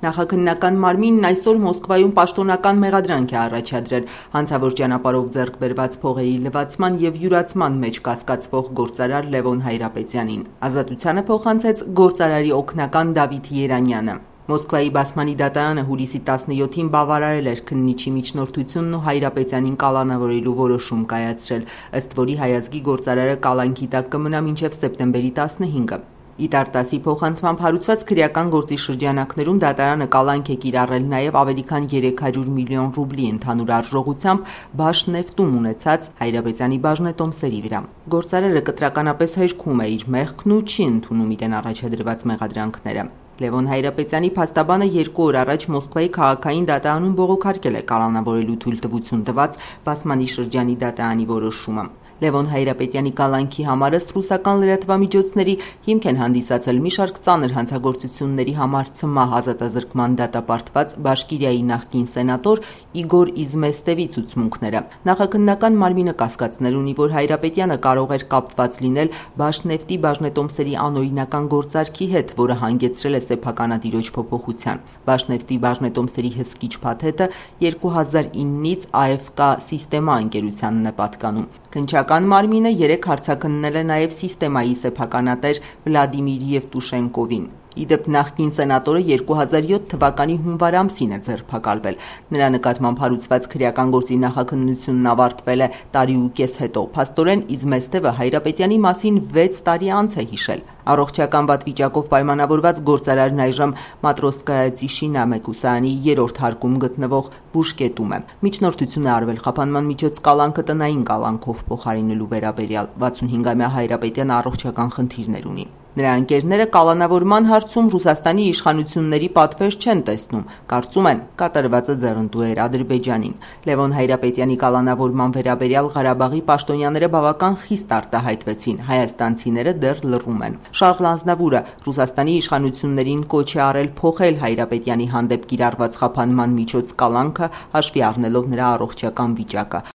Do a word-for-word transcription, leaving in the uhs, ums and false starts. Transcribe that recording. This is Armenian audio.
Նախաքննական մարմինն այսօր Մոսկվայում պաշտոնական մեղադրանք է առաջադրել հանցավոր ճանապարհով ձեռք բերված փողերի լվացման և յուրացման մեջ կասկածվող գործարար Լևոն Հայրապետյանին։ Ազատությանը փոխանցեց գործարարի օգնական Դավիթ Երանյանը։ Մոսկվայի բասմանի դատարանը հուլիսի տասնյոթին բավարարել էր քննիչի միջնորդությունն ու Հայրապետյանին կալանավորելու որոշում կայացրել, ըստ որի հայազգի գործարարը կալանքի տակ կմնա մինչև սեպտեմբերի տասնհինգը։ Իտարտասի փոխանցմամբ հարուցված քրեական գործի շրջանակներում դատարանը կալանք է կիրառել նաև ավելի քան երեք հարյուր միլիոն ռուբլի ընդհանուր արժողությամբ Բաշնեֆտում ունեցած Հայրապետյանի բաժնետոմսերի վրա։ Գործարարը կտրականապես հերքում է իր մեղքն ու չի ընդունում իրեն առաջադրված մեղադրանքները։ Լևոն Հայրապետյանի փաստաբանը երկու օր առաջ Մոսկվայի քաղաքային դատարանում բողոքարկել է կալանավորելու թույլտվություն տված Բասմանի շրջանի դատարանի որոշումը։ Լևոն Հայրապետյանի կալանքի համար ըստ ռուսական լրատվամիջոցների հիմք են հանդիսացել մի շարք ծանր հանցագործությունների համար ցմահ ազատազրկման դատապարտված Բաշկիրիայի նախկին սենատոր Իգոր Իզմեստևի ցուցմունքները։ Նախաքննական մարմինը կասկածներ ունի, որ Հայրապետյանը կարող էր կապված լինել Բաշնեֆտի բաժնետոմսերի անօրինական գործարքի հետ, որը հանգեցրել է սեփականատիրոջ փոփոխության։ Բաշնեֆտի բաժնետոմսերի հսկիչ փաթեթը երկու հազար իննից Ա Էֆ Կա Սիստեմա ընկերությանն է պատկանում։ Քննչական մարմինը երեք հարցաքննել է նաև Սիստեմայի սեփականատեր Վլադիմիր Եվտուշենկովին։ Ի դեպ, նախկին սենատորը երկու հազար յոթ թվականի հունվար ամսին է ձերբակալվել։ Նրա նկատմամբ հարուցված քրեական գործի նախաքննությունն ավարտվել է տարի ու կես հետո։ Փաստորեն Իզմեստևը Հայրապետյանի մասին վեց տարի անց է հիշել։ Առողջական վատ վիճակով պայմանավորված գործարարն այժմ Մատրոսկայա Տիշինա մեկուսարանի երրորդ հարկում գտնվող բուժկետում է։ Միջնորդություն է արվել խափանման միջոց կալանքը տնային կալանքով փոխարինելու վերաբերյալ։ վաթսունհինգամյա Հայրապետյանը առողջական խնդիրներ ունի։ Նրա ընկերները կալանավորման հարցում Ռուսաստանի իշխանությունների պատվեր չեն տեսնում, կարծում են կատարվածը ձեռնտու էր Ադրբեջանին։ Լևոն Հայրապետյանի կալանավորման վերաբերյալ Ղարաբաղի պաշտոնյաները բավական խիստ արտահայտվեցին, հայաստանցիները դեռ լռում են։ Շարլ Ազնավուրը Ռուսաստանի իշխանություններին կոչ է արել փոխել Հայրապետյանի հանդեպ կիրառված խափանման միջոց կալանքը, հաշվի առնելով նրա առողջական վիճակը։